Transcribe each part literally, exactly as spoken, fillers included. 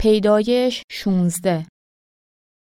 پیدایش شونزده.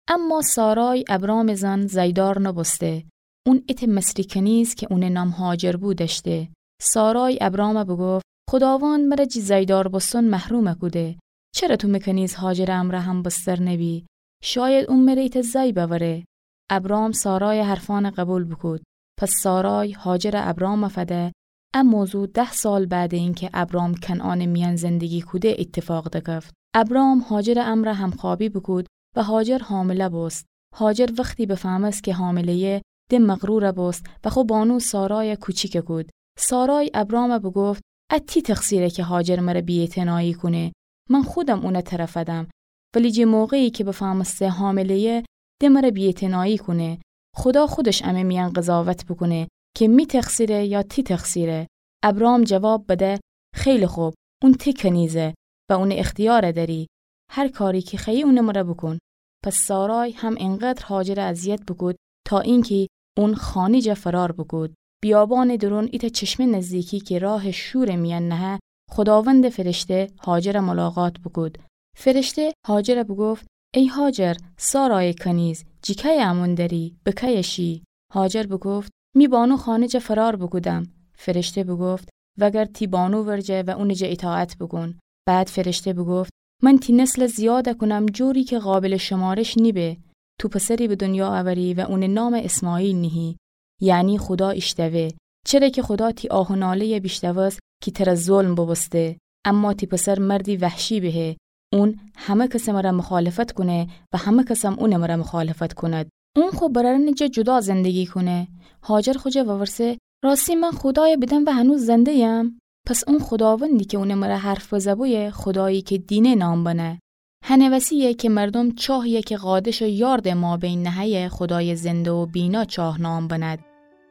اما سارای ابرامٚ زن زأیدار نوبوسته. اون ایتأ مصری کنیز کی اونٚ نام هاجر بو دأشته. سارای ابرامَ بوگفت: خوداوند مرَ جی زأیدار بوستن محروم کوده. چره تو می کنیز هاجرٚ امرأ همبستر نبی؟ شاید اون مره ایتأ زأی بأوره. ابرام سارایٚ حرفأنَ قبول بوکود. پس سارای هاجرَ ابرامَ فده. ا موضوع ده سال بعدٚ اینکه ابرام کنعانٚ میأن زندگی کوده ایتفاق دکفت. ابرام هاجرٚ امرأ همخوابی بوکود و هاجر حامله بوست. هاجر وختی بفهمست کی حامله‌یه، د مغرور بوست و خو بانو سارایَ کوچیک کود. سارای ابرامَ بوگفت: ا تی تقصیره کی هاجر مرَ بی‌اعتنایی کونه. من خودم اونَ ترَ فدم. ولی جٚه موقعی کی بفهمسته حامله‌یه، د مرَ بی‌اعتنایی کونه. خودا خودش امه میأن قضاوت بوکونه کی می تقصیره یا تی تقصیره. ابرام جواب بده: خیلی خوب، اون تی کنیزه و اونٚ اختیارَ دأری. هر کاری کی خوأیی اونٚ مرَ بوکون. پس سارای هم اینقدر هاجرَ اذیت بوکود تا اینکی اون خانه جا فرار بوکود. بیابانٚ دورون ایتأ چشمه نزدیکی کی راه شورٚ میأن نهه، خوداوندٚ فرشته هاجرَ ملاقات بوکود. فرشته هاجرَ بوگفت: ای هاجر، سارایٚ کنیز، جی کیه امون دأری؟ به کیه شی؟ هاجر بوگفت: می بانو خانه جا فرار بوکودم. فرشته بوگفت: وأگرد تی بانو ورجه و اونٚ جا ایطاعت بوکون. بعد فرشته بوگفت: من تی نسلَ زیادَ کونم جوری کی قابلٚ شمارش نیبه. تو پسری به دنیا اوری و اونٚ نامَ اسماعیل نهی، یعنی خودا ایشتوه. چره کی خودا تی آه و ناله‌یَ بیشتوست کی ترَ ظلم بوبوسته. اما تی پسر مردی وحشی بهه. اون همه کسٚ مرَ مخالفت کونه و همه کسم اونٚ مرَ مخالفت کند. اون خو برأرأنٚ جا جدا زندگی کونه. هاجر خو جا وورسه: راستی من خودایَ بیدم و هنوز زنده‌یم؟ پس اون خوداوندی کی اونٚ مرَ حرف بزه بویه، خودایی کی دینه نام بنه. هنٚ وسی‌یه کی مردوم چاهی‌یَ کی قادش و یاردٚ مابین نهه‌یه، خودایٚ زنده و بینا چاه نام بند.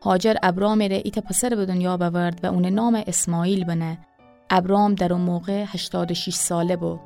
هاجر ابرامٚ ره ایتأ پسرَ به دنیا بأورد و اونٚ نامَ اسماعیل بنه. ابرام در او موقع هشتاد و شیش ساله بو.